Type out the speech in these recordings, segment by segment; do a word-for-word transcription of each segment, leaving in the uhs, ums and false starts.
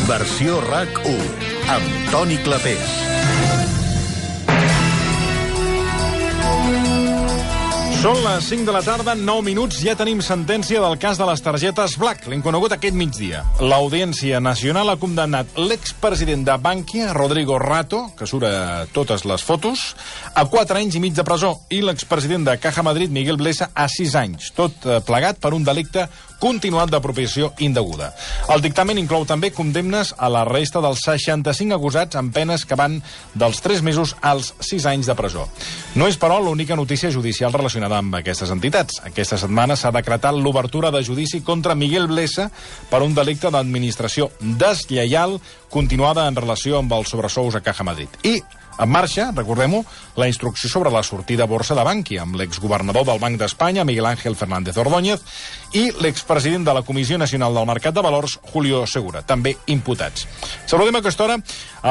Versió RAC u, amb Toni Clapés. Són les cinc de la tarda, nou minuts, ja tenim sentència del cas de les targetes Black. L'hem conegut aquest migdia. L'Audiència Nacional ha condemnat l'expresident de Bankia, Rodrigo Rato, que surt a totes les fotos, a quatre anys i mig de presó, i l'expresident de Caja Madrid, Miguel Blesa, a sis anys, tot plegat per un delicte continuat d'apropiació indeguda. El dictamen inclou també condemnes a la resta dels seixanta-cinc acusats amb penes que van dels tres mesos als sis anys de presó. No és, però, l'única notícia judicial relacionada amb aquestes entitats. Aquesta setmana s'ha decretat l'obertura de judici contra Miguel Blesa per un delicte d'administració deslleial continuada en relació amb els sobresous a Caja Madrid. I en marxa, recordem-ho, la instrucció sobre la sortida a borsa de Bankia, amb l'exgovernador del Banc d'Espanya, Miguel Ángel Fernández Ordóñez, i l'expresident de la Comissió Nacional del Mercat de Valors, Julio Segura, també imputats. Saludem a aquesta hora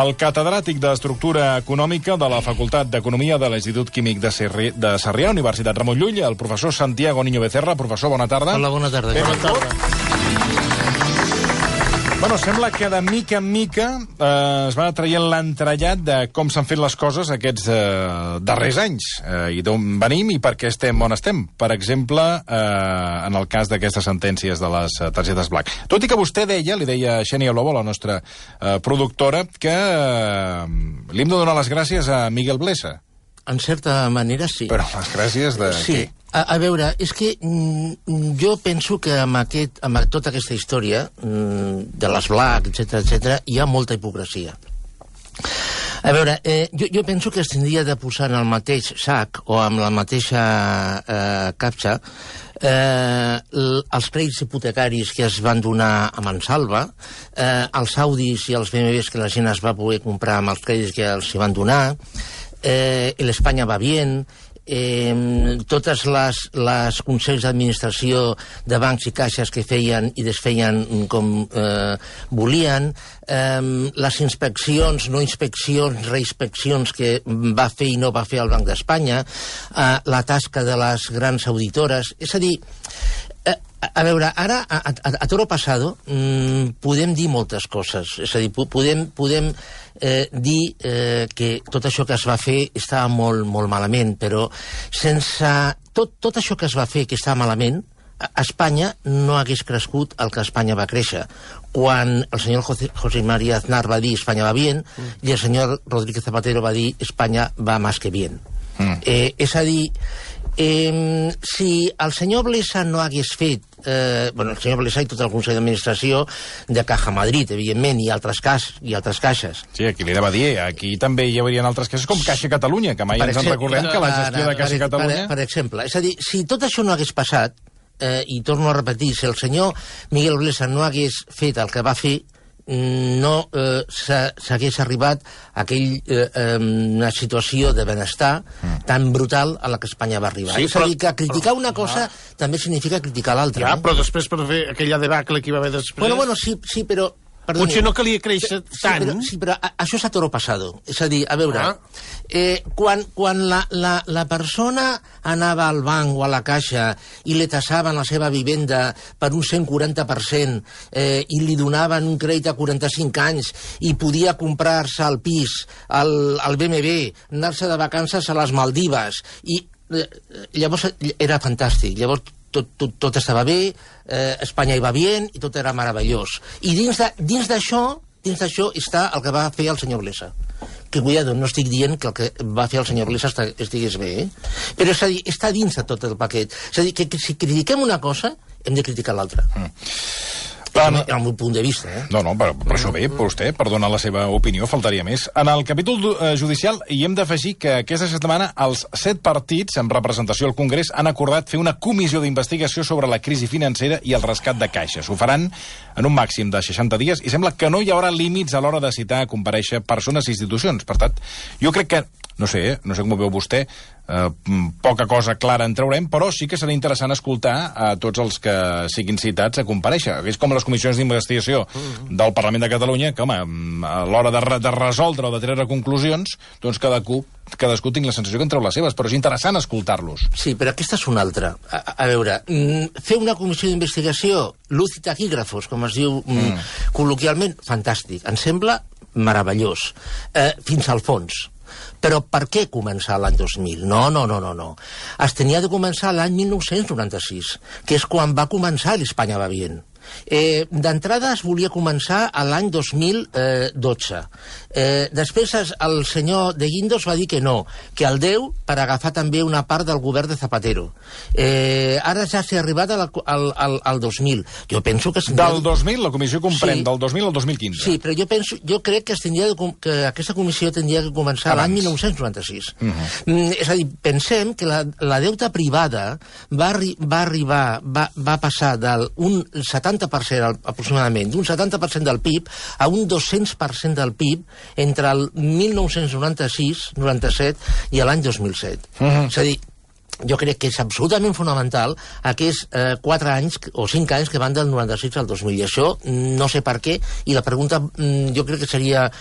el catedràtic d'Estructura Econòmica de la Facultat d'Economia de l'Institut Químic de, Serri... de Sarrià, Universitat Ramon Llull, el professor Santiago Niño Becerra. Professor, bona tarda. Hola, bona tarda. Bona tarda. Bueno, sembla que de mica en mica eh, es va traient l'entrellat de com s'han fet les coses aquests eh, darrers anys, eh, i d'on venim i per què estem on estem. Per exemple, eh, en el cas d'aquestes sentències de les targetes Black. Tot i que vostè deia, li deia Xènia Lobo, la nostra eh, productora, que eh, li hem de donar les gràcies a Miguel Blesa. En certa manera, sí. Però les gràcies de sí. què? A, a veure, és que mm, jo penso que amb, aquest, amb tota aquesta història mm, de les Black, etcètera, etcètera, hi ha molta hipocresia. A veure, eh, jo, jo penso que es tindria de posar en el mateix sac o amb la mateixa eh, capsa eh, els crèdits hipotecaris que es van donar a Mansalva, eh, els Audis i els B M Ws que la gent es va poder comprar amb els crèdits que els van donar, eh, l'Espanya va bien, eh, totes les, les consells d'administració de bancs i caixes que feien i desfeien com eh, volien, eh, les inspeccions, no inspeccions, reinspeccions que va fer i no va fer el Banc d'Espanya, eh, la tasca de les grans auditores, és a dir, eh, a veure, ara, a, a, a toro passado, mmm, podem dir moltes coses. És a dir, podem, podem eh, dir eh, que tot això que es va fer estava molt, molt malament, però sense tot, tot això que es va fer que estava malament, Espanya no hagués crescut el que Espanya va créixer. Quan el senyor José, José María Aznar va dir Espanya va bien, mm. i el senyor Rodríguez Zapatero va dir Espanya va más que bien. Mm. Eh, és a dir, eh, si el senyor Blesa no hagués fet Eh, bueno, el senyor Blesa i tot el Consell d'Administració de Caja Madrid, evidentment, i altres, cas, i altres caixes. Sí, aquí li anava a dir, aquí també hi haurien altres caixes com Caixa Catalunya, que mai per ens exemple, en recordem que la gestió de Caixa per, Catalunya... Per, per exemple, és a dir, si tot això no hagués passat, eh, i torno a repetir, si el senyor Miguel Blesa no hagués fet el que va fer, no eh, s'hagués arribat a aquell, eh, eh, una situació de benestar mm. tan brutal a la que Espanya va arribar. Sí, és però, a dir, que criticar però, una cosa ja. també significa criticar l'altra. Ja, eh? però després per fer aquella debacle que hi va haver després... Bueno, bueno, sí, sí, però... Perdoni, potser no calia créixer sí, tant. Però, sí, però a, això és a toro passado. És a dir, a veure, ah. eh, quan, quan la, la, la persona anava al banc o a la caixa i li tassaven la seva vivenda per un cent quaranta per cent eh, i li donaven un crèdit a quaranta-cinc anys i podia comprar-se el pis, el, el B M W, anar-se de vacances a les Maldives, i eh, llavors era fantàstic. Llavors Tot, tot, tot estava bé, eh, Espanya hi va bien i tot era meravellós. I dins d'això dins d'això està el que va fer el senyor Blesa. Que, cuidado, no estic dient que el que va fer el senyor Blesa estigués bé, eh? Però és a dir, està dins de tot el paquet. És a dir, que, que si critiquem una cosa, hem de criticar l'altra. Mm. Al meu punt de vista, eh? No, no, per, per això bé, per vostè, per donar la seva opinió, faltaria més. En el capítol eh, judicial hi hem d'afegir que aquesta setmana els set partits en representació al Congrés han acordat fer una comissió d'investigació sobre la crisi financera i el rescat de caixes. Ho faran en un màxim de seixanta dies i sembla que no hi haurà límits a l'hora de citar a comparèixer persones i institucions. Per tant, jo crec que, no sé, eh, no sé com ho veu vostè, eh, poca cosa clara en traurem, però sí que serà interessant escoltar a tots els que siguin citats a comparèixer. És com les comissions d'investigació del Parlament de Catalunya, que, home, a l'hora de, re de resoldre o de treure conclusions, doncs cadascú, cadascú tinc la sensació que en treu les seves, però és interessant escoltar-los. Sí, però aquesta és una altra. A, a veure, fer una comissió d'investigació, luz i taquígrafos, com es diu mm. col·loquialment, fantàstic. Em sembla meravellós, eh, fins al fons. Però per què començar l'any dos mil? No, no, no, no, no. Es tenia de començar l'any mil nou-cents noranta-sis, que és quan va començar l'Espanya va bien. Eh, D'entrada es volia començar a l'any dos mil dotze. Eh, després es, el senyor de Guindos va dir que no, que el deu per agafar també una part del govern de Zapatero. Eh, ara ja s'ha arribat al, al, al, al dos mil. Jo penso que... Del dos mil, la comissió comprèn sí, del dos mil al dos mil quinze. Sí, però jo, penso, jo crec que, es de, que aquesta comissió tindria que començar l'any mil nou-cents noranta-sis. Uh -huh. mm, és a dir, pensem que la, la deuta privada va, arri va arribar, va, va passar d'un setanta per cent aproximadament, d'un setanta per cent del P I B a un dos-cents per cent del P I B entre el mil nou-cents noranta-sis noranta-set i l'any dos mil set. Uh -huh. És a dir, jo crec que és absolutament fonamental aquests eh, quatre anys o cinc anys que van del noranta-sis al dos mil. I això no sé per què, i la pregunta mm, jo crec que seria...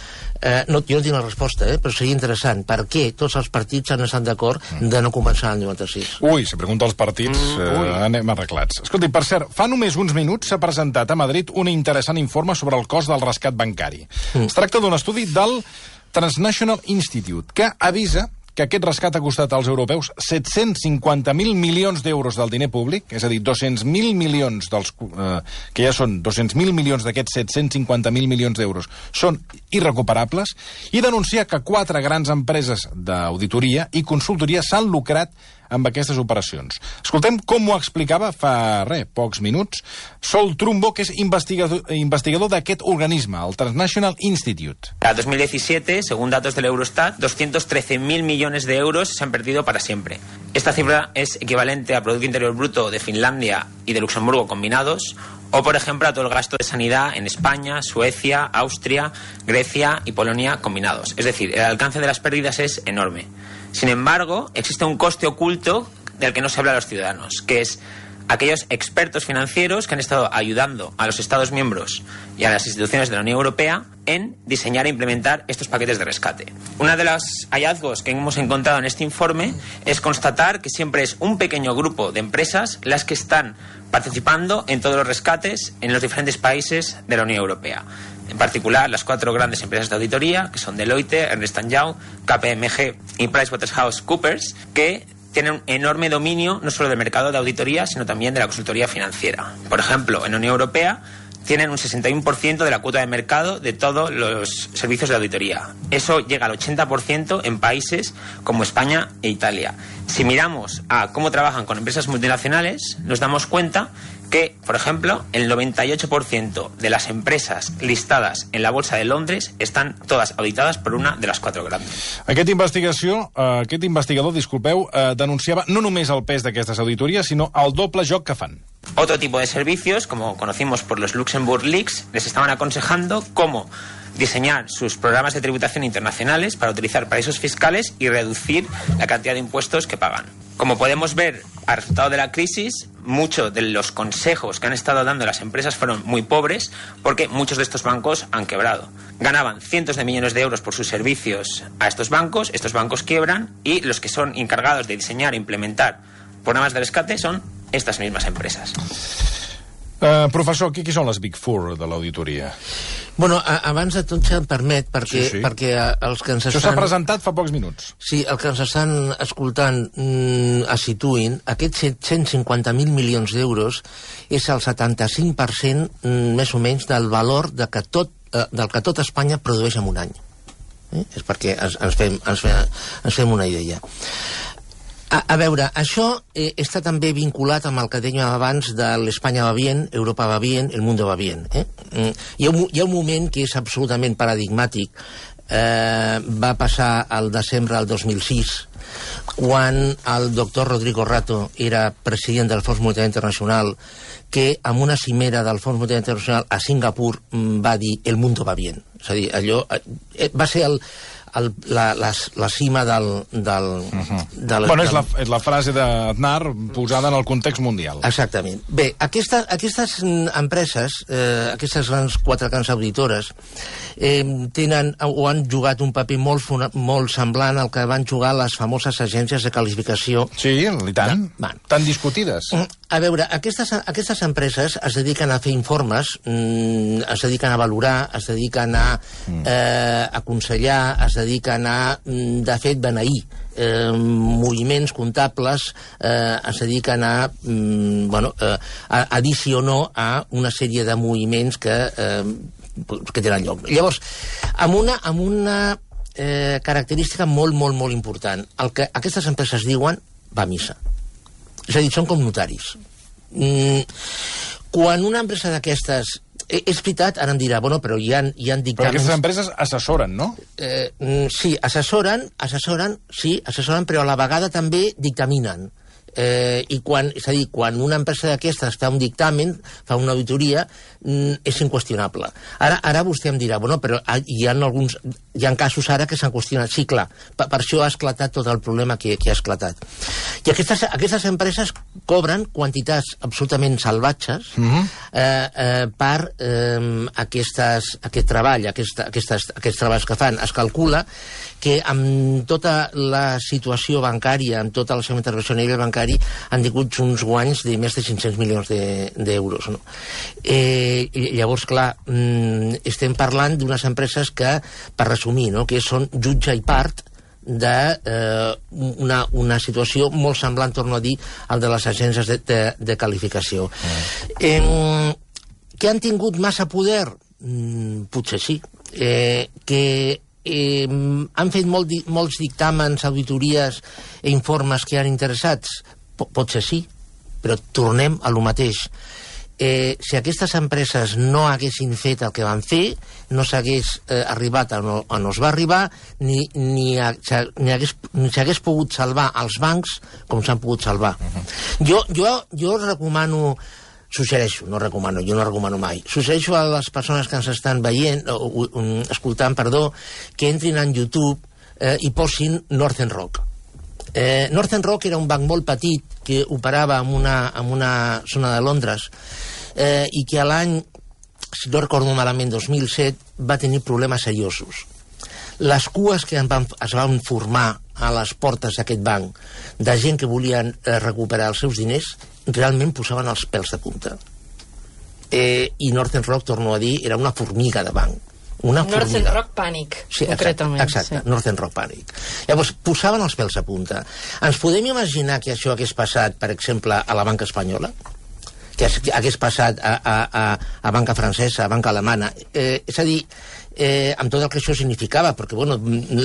Eh, no, jo no tinc la resposta, eh, però seria interessant. Per què tots els partits han estat d'acord de no començar el noranta-sis? Ui, si pregunta als partits, eh, anem arreglats. Escolti, per cert, fa només uns minuts s'ha presentat a Madrid un interessant informe sobre el cost del rescat bancari. Mm. Es tracta d'un estudi del Transnational Institute, que avisa que aquest rescat ha costat als europeus set-cents cinquanta mil milions d'euros del diner públic, és a dir, dos-cents mil milions, dels, eh, que ja són dos-cents mil milions d'aquests set-cents cinquanta mil milions d'euros, són irrecuperables, i denuncia que quatre grans empreses d'auditoria i consultoria s'han lucrat amb aquestes operacions. Escoltem com ho explicava fa, res, pocs minuts, Sol Trumbo, que és investigador, investigador d'aquest organisme, el Transnational Institute. A dos mil diecisiete, según datos del Eurostat, doscientos trece mil millones de euros se han perdido para siempre. Esta cifra es equivalente al Producto Interior Bruto de Finlandia y de Luxemburgo combinados, o, por ejemplo, a todo el gasto de sanidad en España, Suecia, Austria, Grecia y Polonia combinados. Es decir, el alcance de las pérdidas es enorme. Sin embargo, existe un coste oculto del que no se habla a los ciudadanos, que es aquellos expertos financieros que han estado ayudando a los Estados miembros y a las instituciones de la Unión Europea en diseñar e implementar estos paquetes de rescate. Uno de los hallazgos que hemos encontrado en este informe es constatar que siempre es un pequeño grupo de empresas las que están participando en todos los rescates en los diferentes países de la Unión Europea. En particular, las cuatro grandes empresas de auditoría, que son Deloitte, Ernst and Young, K P M G y PricewaterhouseCoopers, que tienen un enorme dominio no solo del mercado de auditoría, sino también de la consultoría financiera. Por ejemplo, en la Unión Europea tienen un sesenta y uno por ciento de la cuota de mercado de todos los servicios de auditoría. Eso llega al ochenta por ciento en países como España e Italia. Si miramos a cómo trabajan con empresas multinacionales, nos damos cuenta que, por ejemplo, el noventa y ocho por ciento de las empreses listadas en la Bolsa de Londres estan totes auditades per una de les quatre grandes. Aquest, investigació, eh, aquest investigador, disculpeu, eh, denunciava no només el pes d'aquestes auditories, sinó el doble joc que fan. Otro tipo de servicios, como conocimos por los Luxembourg Leaks, les estaban aconsejando cómo diseñar sus programas de tributación internacionales para utilizar paraísos fiscales y reducir la cantidad de impuestos que pagan. Como podemos ver, al resultado de la crisis, muchos de los consejos que han estado dando las empresas fueron muy pobres porque muchos de estos bancos han quebrado. Ganaban cientos de millones de euros por sus servicios a estos bancos, estos bancos quiebran y los que son encargados de diseñar e implementar programas de rescate son estas mismas empresas. Uh, professor, qui, qui són les Big Four de l'auditoria? Bueno, a, abans de tot, si em permet, perquè, sí, sí. perquè els que ens estan... Això s'ha presentat fa pocs minuts. Sí, el que ens estan escoltant mm, es situïn, aquests set-cents cinquanta mil milions d'euros és el setanta-cinc per cent mm, més o menys del valor de que tot, eh, del que tot Espanya produeix en un any. Eh? És perquè ens, ens, fem, ens, fem, ens fem una idea. A, a veure, això eh, està també vinculat amb el que dèiem abans de l'Espanya va bien, Europa va bien, el mundo va bien. Eh? Mm, hi, ha un, hi ha un moment que és absolutament paradigmàtic. Eh, va passar al desembre del dos mil sis, quan el doctor Rodrigo Rato era president del Fons Monetari Internacional, que amb una cimera del Fons Monetari Internacional a Singapur va dir el mundo va bien. És a dir, allò eh, va ser el el, la, la, la cima del... del, uh-huh. del bueno, del... és la, és la frase d'Aznar posada en el context mundial. Exactament. Bé, aquesta, aquestes empreses, eh, aquestes grans, quatre grans auditores, eh, tenen o han jugat un paper molt, molt semblant al que van jugar les famoses agències de qualificació. Sí, i tant. De, tan discutides. A veure, aquestes, aquestes empreses es dediquen a fer informes, mm, es dediquen a valorar, es dediquen a eh, aconsellar, es dediquen a, de fet, beneir eh, moviments comptables, eh, es dediquen a, mm, bueno, eh, a, a dir sí o no a una sèrie de moviments que, eh, que tenen lloc. Llavors, amb una, amb una eh, característica molt, molt, molt important. El que aquestes empreses diuen va a missa. És a dir, són com notaris. Mm, quan una empresa d'aquestes... És veritat, ara em dirà, bueno, però hi ha, hi ha dictàmens... Però aquestes empreses assessoren, no? Eh, sí, assessoren, assessoren, sí, assessoren, però a la vegada també dictaminen. Eh, i quan, és a dir, quan una empresa d'aquestes fa un dictamen, fa una auditoria, mm, és inqüestionable. Ara, ara vostè em dirà, bueno, però hi ha alguns, hi ha casos ara que s'han qüestionat. Sí, clar, per, per això ha esclatat tot el problema que, que ha esclatat. I aquestes, aquestes empreses cobren quantitats absolutament salvatges uh-huh. eh, eh, per eh, aquestes, aquest treball, aquesta, aquestes, aquests treballs que fan. Es calcula que amb tota la situació bancària, amb tota la seva intervenció a nivell bancari, han tingut uns guanys de més de cinc-cents milions d'euros. No? Eh, llavors, clar, mm, estem parlant d'unes empreses que, per resumir, no? que són jutge i part d'una eh, una situació molt semblant, torno a dir, al de les agències de, de, de qualificació. Mm. Eh, que han tingut massa poder? Mm, potser sí. Eh, que Eh, han fet molt di molts dictàmens, auditories i informes que han interessats? P potser sí, però tornem a lo mateix. Eh, si aquestes empreses no haguessin fet el que van fer, no s'hagués eh, arribat on no, no es va arribar, ni, ni, a, ni hagués, ni s'hagués pogut salvar els bancs com s'han pogut salvar. Uh-huh. Jo, jo, jo recomano... Suggereixo, no recomano, jo no recomano mai. Suggereixo a les persones que ens estan veient, o, o, escoltant, perdó, que entrin en YouTube eh, i posin Northern Rock. Eh, Northern Rock era un banc molt petit que operava en una, en una zona de Londres eh, i que a l'any, si no recordo malament, dos mil set, va tenir problemes seriosos. Les cues que van, es van formar a les portes d'aquest banc de gent que volien eh, recuperar els seus diners realment posaven els pèls de punta. Eh, I Northern Rock, torno a dir, era una formiga de banc. Una Northern formiga. Rock Panic, sí, concretament. Exacte, exacte sí. Northern Rock Panic. Llavors, posaven els pèls a punta. Ens podem imaginar que això hagués passat, per exemple, a la banca espanyola? Que hagués passat a, a, a, a banca francesa, a banca alemana? Eh, és a dir, eh, amb tot el que això significava, perquè bueno,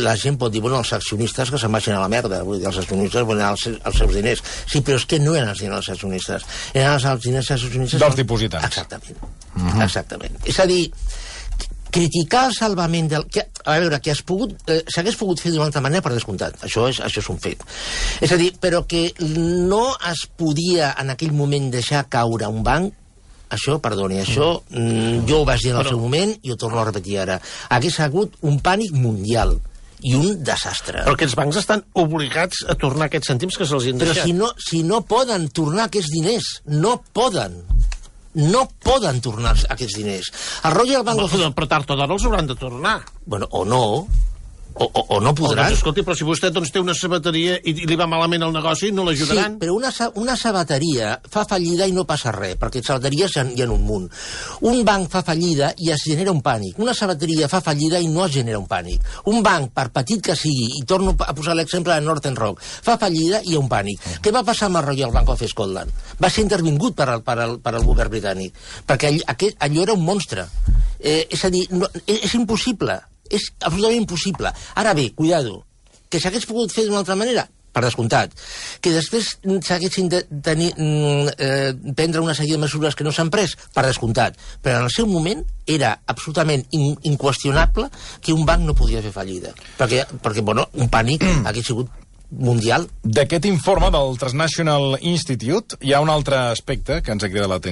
la gent pot dir, bueno, els accionistes que se'n vagin a la merda, vull dir, els accionistes volen els, els seus diners. Sí, però és que no eren els diners dels accionistes, eren els diners dels accionistes... Dels dipositants. Exactament, uh-huh. exactament. És a dir, criticar el salvament del... Que, a veure, que pogut, eh, s'hagués pogut fer d'una altra manera, per descomptat, això és, això és un fet. És a dir, però que no es podia en aquell moment deixar caure un banc, això, perdoni, això mm, jo ho vaig dir en el però... seu moment i ho torno a repetir ara. Hagués hagut un pànic mundial i un desastre. Però aquests bancs estan obligats a tornar aquests cèntims que se'ls han deixat. Però si no, si no poden tornar aquests diners, no poden. No poden tornar aquests diners. El Royal Bank of... Però tard o d'hora els hauran de tornar. Bueno, o no... O, o, o no podran. O, doncs, escolti, però si vostè doncs, té una sabateria i, i li va malament el negoci, no l'ajudaran. Sí, però una, una sabateria fa fallida i no passa res, perquè sabateries hi ha, hi ha un munt. Un banc fa fallida i es genera un pànic. Una sabateria fa fallida i no es genera un pànic. Un banc, per petit que sigui, i torno a posar l'exemple de Northern Rock, fa fallida i hi ha un pànic. Uh-huh. Què va passar amb el Royal Bank of Scotland? Va ser intervingut per al, per al, per al govern britànic, perquè all, aquest, allò era un monstre. Eh, és a dir, no, és, és impossible. És absolutament impossible. Ara bé, cuidado, que s'hagués pogut fer d'una altra manera, per descomptat. Que després s'haguessin de tenir, eh, prendre una sèrie de mesures que no s'han pres, per descomptat. Però en el seu moment era absolutament in, inqüestionable que un banc no podia fer fallida. Perquè, perquè bueno, un pànic hagués sigut mundial. D'aquest informe del Transnational Institute hi ha un altre aspecte que ens ha cridat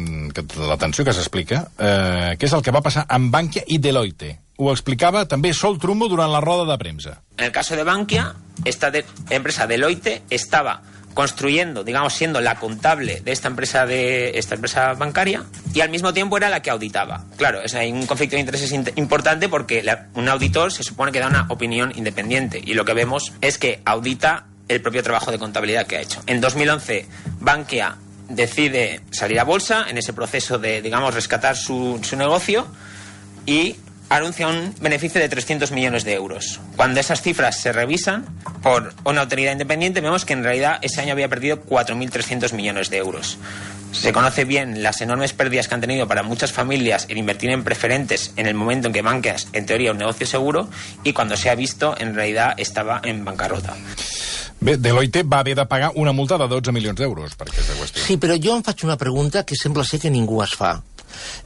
l'atenció, que s'explica, eh, que és el que va passar amb Bankia i Deloitte. ho explicava també Sol Trumbo durant la roda de premsa. En el caso de Bankia, esta de, empresa Deloitte estaba construyendo, digamos, siendo la contable de esta empresa de esta empresa bancaria y al mismo tiempo era la que auditaba. Claro, es, hay un conflicto de intereses importante porque la, un auditor se supone que da una opinión independiente y lo que vemos es que audita el propio trabajo de contabilidad que ha hecho. En dos mil once, Bankia decide salir a bolsa en ese proceso de, digamos, rescatar su, su negocio y anuncia un beneficio de trescientos millones de euros. Cuando esas cifras se revisan por una autoridad independiente, vemos que en realidad ese año había perdido cuatro mil trescientos millones de euros. Se conoce bien las enormes pérdidas que han tenido para muchas familias en invertir en preferentes en el momento en que Bankia es, en teoría, un negocio seguro, y cuando se ha visto, en realidad estava en bancarrota. Bé, Deloitte va haver de pagar una multa de dotze milions d'euros per aquesta qüestió. Sí, però jo em faig una pregunta que sembla ser que ningú es fa.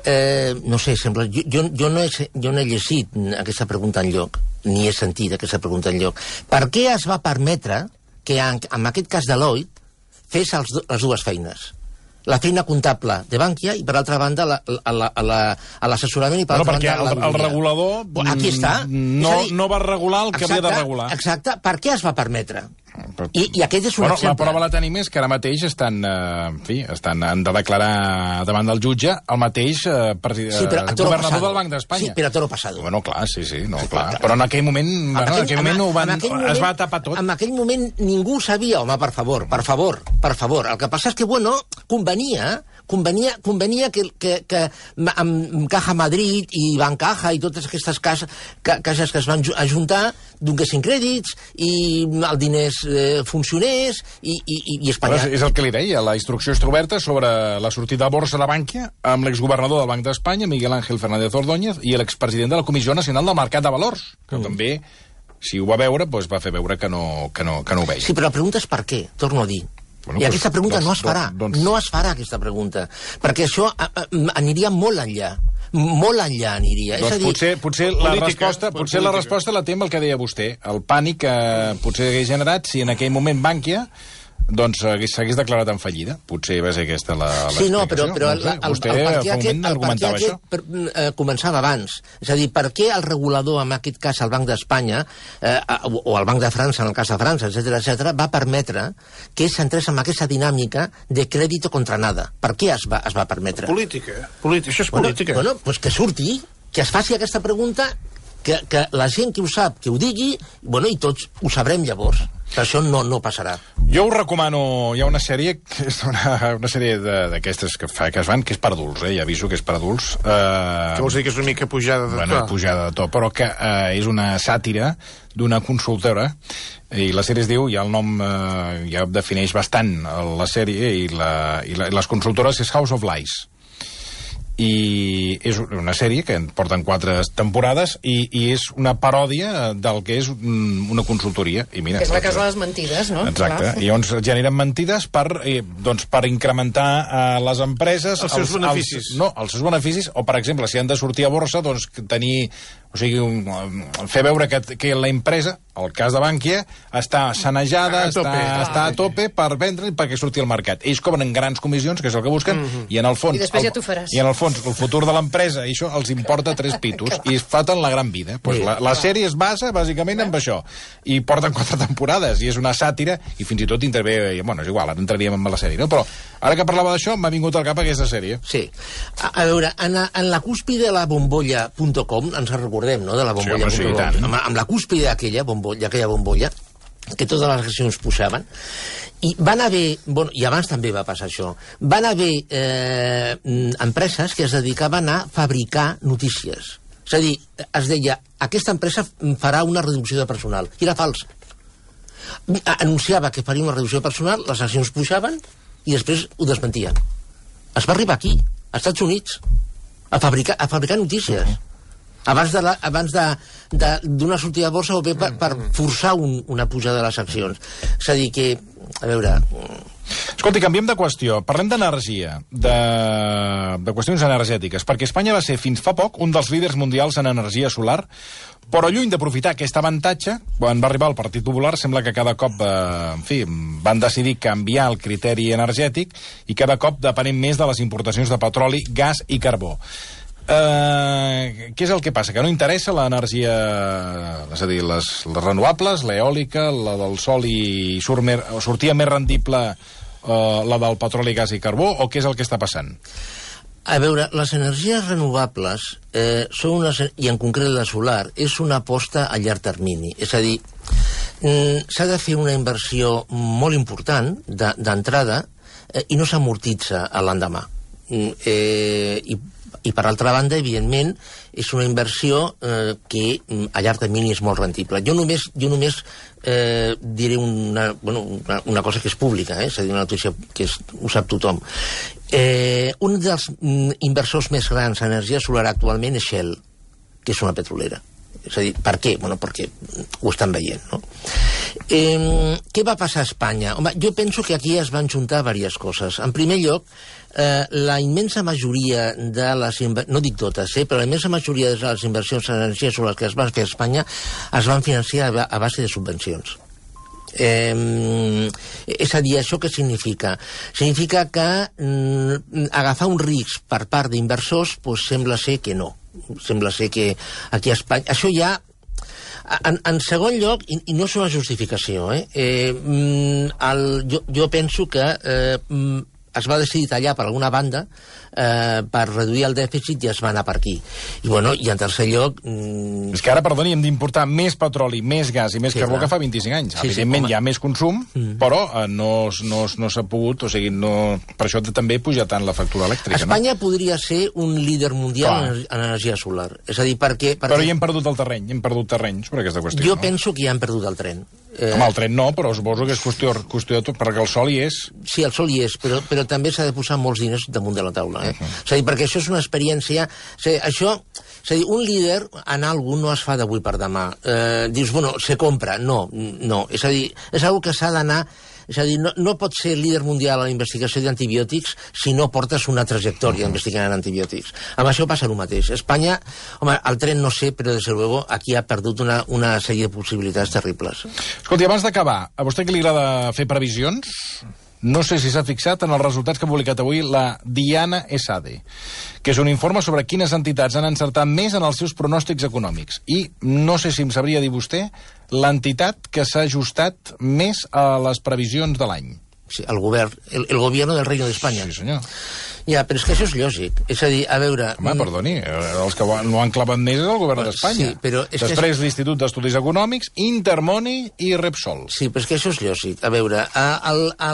Eh, no sé, sembla... Jo, jo, jo, no he, jo no he llegit aquesta pregunta enlloc, ni he sentit aquesta pregunta enlloc. Per què es va permetre que, en, en aquest cas Deloitte, fes els, les dues feines? La feina comptable de Bankia i, per altra banda, l'assessorament i, per bueno, altra banda, el, el regulador aquí està. No, dir, no va regular el que exacte, havia de regular. Exacte. Per què es va permetre? I, i aquest és un bueno, exemple. La prova la tenim és que ara mateix estan, eh, en fi, estan, han de declarar davant del jutge el mateix eh, president, sí, però, governador pasado. del Banc d'Espanya. Sí, però a toro pasado. Bueno, clar, sí, sí, no, clar. Però en aquell moment, en bueno, aquell, en aquell moment, en, ho van, en moment es va tapar tot. En aquell moment ningú ho sabia, home, per favor, per favor, per favor. El que passa és que, bueno, convenia, convenia, convenia que, que, que amb Caja Madrid i Bancaja i totes aquestes cases, cases que es van ajuntar donessin crèdits i el diners eh, funcionés i, i, i Espanya... Però és el que li deia, la instrucció està oberta sobre la sortida a borsa de Bankia amb l'exgovernador del Banc d'Espanya, Miguel Ángel Fernández Ordóñez, i l'expresident de la Comissió Nacional del Mercat de Valors, que mm. també, si ho va veure, doncs va fer veure que no, que, no, que no ho veia. Sí, però la pregunta és per què, torno a dir. Bueno, I doncs, aquesta pregunta doncs, no es farà, doncs... no es farà aquesta pregunta, perquè això a, a, aniria molt enllà. Molt enllà aniria. Doncs és a dir, potser, potser, la resposta, potser la resposta la té amb el que deia vostè. El pànic que potser hagués generat si en aquell moment Bankia doncs s'hagués declarat en fallida. Potser va ser aquesta l'explicació. Sí, no, però, però no sé, el, vostè el, el, fa un moment argumentava això. Per, eh, començava abans. És a dir, per què el regulador, en aquest cas el Banc d'Espanya, eh, o el Banc de França, en el cas de França, etcètera, etcètera, va permetre que s'entrés en aquesta dinàmica de crèdito contra nada? Per què es va, es va permetre? Política. Política. Això és bueno, política. Bueno, doncs pues que surti, que es faci aquesta pregunta, que, que la gent que ho sap, que ho digui, bueno, i tots ho sabrem llavors. Però això no, no passarà. Jo us recomano, hi ha una sèrie, que és una, una sèrie d'aquestes que, fa, que es fan, que és per adults, eh? Ja aviso que és per adults. Eh, que vols dir que és una mica pujada de bueno, to? Pujada de to, però que eh, és una sàtira d'una consultora, i la sèrie es diu, ja el nom eh, ja defineix bastant la sèrie, i, la, i, la, i les consultores és House of Lies. I és una sèrie que porten quatre temporades i, i és una paròdia del que és una consultoria. I mira, que és la casa de les mentides, no? Exacte. Clar. I llavors generen mentides per, eh, doncs, per incrementar a eh, les empreses... Els seus els, beneficis. Els, no, els seus beneficis, o per exemple, si han de sortir a borsa, doncs tenir... O sigui, un, fer veure que, que la empresa, el cas de Bankia, està sanejada, a està, ah, està a tope per vendre i perquè surti al mercat. Ells cobren grans comissions, que és el que busquen, mm-hmm. i en el fons... I després el, ja t'ho faràs. I en el fons, el futur de l'empresa, i això els importa tres pitos, i es faten la gran vida. Pues la, la sèrie es basa, bàsicament, en això. I porten quatre temporades, i és una sàtira, i fins i tot intervé... Bueno, és igual, ara entraríem en la sèrie, no? Però ara que parlava d'això, m'ha vingut al cap aquesta sèrie. Sí. A, a veure, en, en la cúspide de la bombolla punt com, ens recordem, no?, de la bombolla punt com. Sí, sí, amb, amb la cúspide d'aquella bombolla, aquella bombolla, que totes les accions pujaven, i van haver, bueno, i abans també va passar això, van haver eh, empreses que es dedicaven a fabricar notícies. És a dir, es deia, aquesta empresa farà una reducció de personal, i era fals. Anunciava que faria una reducció de personal, les accions pujaven, i després ho desmentien. Es va arribar aquí, als Estats Units, a fabricar, a fabricar notícies. Abans de la, abans de, de, d'una sortida de borsa o bé per, per forçar un, una pujada de les accions. És a dir que, a veure... Escolti, canviem de qüestió. Parlem d'energia, de, de qüestions energètiques, perquè Espanya va ser fins fa poc un dels líders mundials en energia solar, però lluny d'aprofitar aquest avantatge, quan va arribar el Partit Popular, sembla que cada cop, eh, en fi, van decidir canviar el criteri energètic i cada cop depenem més de les importacions de petroli, gas i carbó. Uh, què és el que passa? Que no interessa l'energia, és a dir, les, les renovables, l'eòlica, la del sol, i surt mer, sortia més rendible uh, la del petroli, gas i carbó, o què és el que està passant? A veure, les energies renovables, eh, són unes, i en concret la solar, és una aposta a llarg termini. És a dir, mm, s'ha de fer una inversió molt important d'entrada eh, i no s'amortitza a l'endemà. Mm, eh, i I, per altra banda, evidentment, és una inversió eh, que a llarg termini és molt rendible. Jo només, jo només eh, diré una, bueno, una, una cosa que és pública, eh? És a dir, una notícia que és, ho sap tothom. Eh, un dels mm, inversors més grans en energia solar actualment és Shell, que és una petrolera. És a dir, per què? Bueno, perquè ho estan veient, no? Eh, què va passar a Espanya? Home, jo penso que aquí es van juntar diverses coses. En primer lloc, eh, la immensa majoria de les... no dic totes, eh, però la immensa majoria de les inversions en energia sobre les que es van fer a Espanya es van financiar a base de subvencions. Eh, és a dir, això què significa? Significa que mm, agafar un risc per part d'inversors pues, sembla ser que no. Sembla ser que aquí a Espanya... Això ja... En, en segon lloc, i, i no és una justificació, eh? eh el, jo, jo penso que eh, es va decidir tallar per alguna banda eh, per reduir el dèficit i es va anar per aquí. I, bueno, i en tercer lloc... Mm... És que ara, perdoni, hem d'importar més petroli, més gas i més sí, carbó clar. que fa vint-i-cinc anys. Sí, Evidentment sí, hi ha més consum, mm. però eh, no, no, no s'ha pogut, o sigui, no... per això també puja tant la factura elèctrica. Espanya no? podria ser un líder mundial en, en energia solar. És a dir, perquè, perquè... Però hi hem perdut el terreny, hem perdut terreny sobre aquesta qüestió. Jo no? penso que ja hem perdut el tren. Eh... Home, el tren no, però suposo que és qüestió, qüestió de tot, perquè el sol hi és. Sí, el sol hi és, però, però també s'ha de posar molts diners damunt de la taula. Eh? Uh -huh. És a dir, perquè això és una experiència... És a dir, això, és a dir, un líder en algú no es fa d'avui per demà. Eh, dius, bueno, se compra. No, no. És a dir, és una que s'ha d'anar... És a dir, no, no pots ser líder mundial a la investigació d'antibiòtics si no portes una trajectòria investigant en antibiòtics. Amb això passa el mateix. Espanya, home, el tren no sé, però des de luego aquí ha perdut una, una sèrie de possibilitats terribles. Escolti, abans d'acabar, a vostè que li agrada fer previsions, no sé si s'ha fixat en els resultats que ha publicat avui la Diana Esade, que és un informe sobre quines entitats han encertat més en els seus pronòstics econòmics. I no sé si em sabria dir vostè l'entitat que s'ha ajustat més a les previsions de l'any. Sí, el govern, el, el gobierno del Reino d'Espanya. Sí, senyor. Ja, però és que això és lògic. És a dir, a veure... Home, perdoni, els que no han clavat més és el govern d'Espanya. Sí, però és Després que... l'Institut d'Estudis Econòmics, Intermoni i Repsol. Sí, però és que això és lògic. A veure, a, a, a,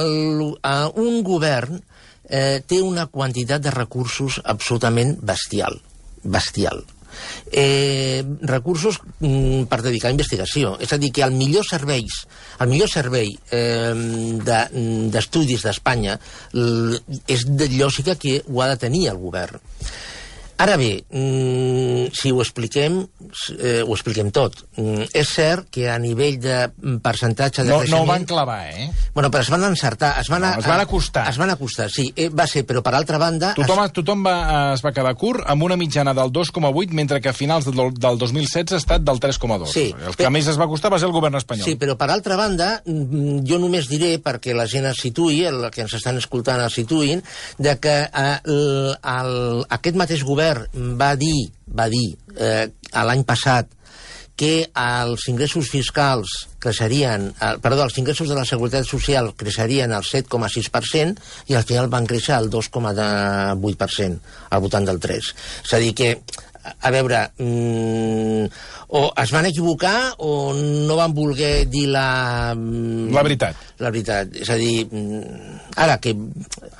a un govern eh, té una quantitat de recursos absolutament bestial. Bestial. Eh, recursos mm, per dedicar a investigació. És a dir, que el millor serveis, el millor servei eh, d'estudis de, d'Espanya és de lògica que ho ha de tenir el govern. Ara bé, mm, si ho expliquem, eh, ho expliquem tot. Mm, és cert que a nivell de percentatge de no, creixement... No ho van clavar, eh? Bueno, però es van encertar. Es van, no, es van acostar. Es van acostar, sí. Eh, va ser, però per altra banda... Tothom, es... tothom va, es va quedar curt amb una mitjana del dos coma vuit, mentre que a finals del, del dos mil setze ha estat del tres coma dos. Sí, el que però... més es va costar va ser el govern espanyol. Sí, però per altra banda, jo només diré, perquè la gent es situï, el que ens estan escoltant es situïn, de que eh, el, el, aquest mateix govern va dir, va dir eh, l'any passat que els ingressos fiscals creixerien, eh, perdó, els ingressos de la Seguretat Social creixerien al set coma sis per cent i al final van créixer al dos coma vuit per cent, al voltant del tres. És a dir que, a veure, mmm, o es van equivocar o no van voler dir la... La veritat. La veritat. És a dir, ara que...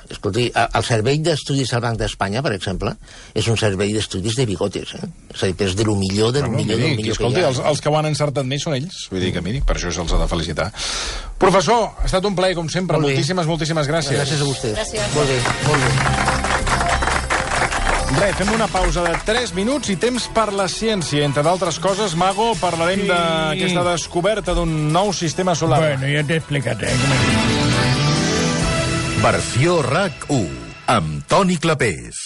Escolti, el servei d'estudis al Banc d'Espanya, per exemple, és un servei d'estudis de bigotes, eh? És a dir, és de lo millor, de lo bueno, millor, miri, de lo millor escolti, que hi ha. Els, els que ho han encertat més són ells. Vull dir que, miri, per això se'ls ha de felicitar. Professor, ha estat un plaer, com sempre. Moltíssimes, moltíssimes gràcies. Gràcies a vostès. Gràcies. Molt bé, molt bé. Res, fem una pausa de tres minuts i temps per la ciència. Entre d'altres coses, Mago, parlarem sí. d'aquesta descoberta d'un nou sistema solar. Bueno, ja t'he explicat, eh? Versió RAC u, amb Toni Clapés.